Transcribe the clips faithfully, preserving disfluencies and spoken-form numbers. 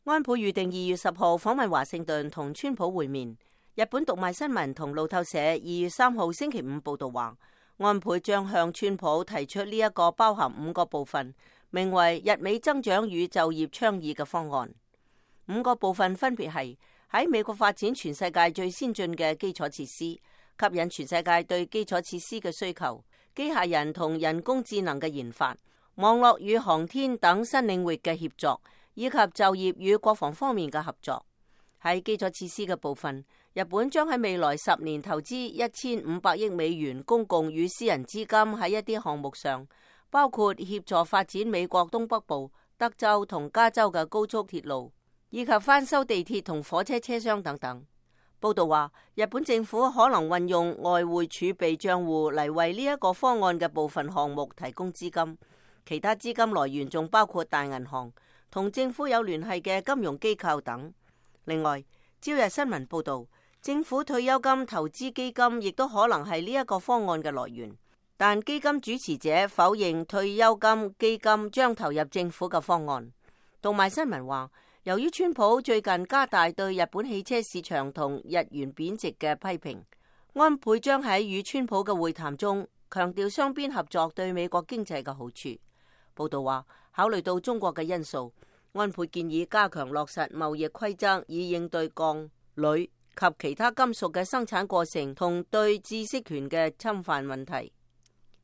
安倍預定二月十號訪問華盛頓同川普會面。日本讀賣新聞同路透社二月三號星期五報道話，安倍將向川普提出呢一個包含五個部分，名為日美增長與就業倡議嘅方案。五個部分分別係喺美國發展全世界最先進嘅基礎設施，吸引全世界對基礎設施嘅需求，機械人同人工智能嘅研發，網絡與航天等新領域嘅協作，以及就業與國防方面嘅合作。喺基礎設施嘅部分，日本將喺未來十年投資一千五百億美元公共與私人資金喺一啲項目上，包括協助發展美國東北部、德州同加州嘅高速鐵路，以及翻修地鐵同火車車廂等等。報道話，日本政府可能運用外匯儲備賬戶嚟為呢一個方案嘅部分項目提供資金，其他資金來源仲包括大銀行、同政府有聯繫嘅金融機構等。另外，朝日新聞報道，政府退休金投資基金亦都可能係呢一個方案嘅來源，但基金主持者否認退休金基金將投入政府嘅方案。讀賣新聞話，由於川普最近加大對日本汽車市場同日元貶值嘅批評，安倍將喺與川普嘅會談中強調雙邊合作對美國經濟嘅好處。報道話，考慮到中國嘅因素，安倍建議加強落實貿易規則，以應對鋼、鋁及其他金屬嘅生產過程同對知識權嘅侵犯問題。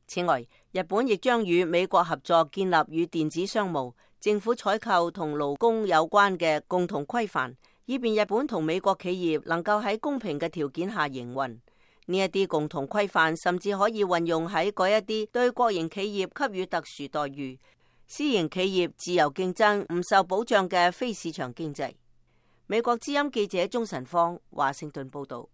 此外，日本亦將與美國合作建立與電子商務、政府採購同勞工有關嘅共同規範，以便日本同美國企業能夠喺公平嘅條件下營運。呢一啲共同規範甚至可以運用喺嗰一啲對國營企業給予特殊待遇、私營企業自由競爭唔受保障嘅非市場經濟。美國之音記者鍾晨芳華盛頓報道。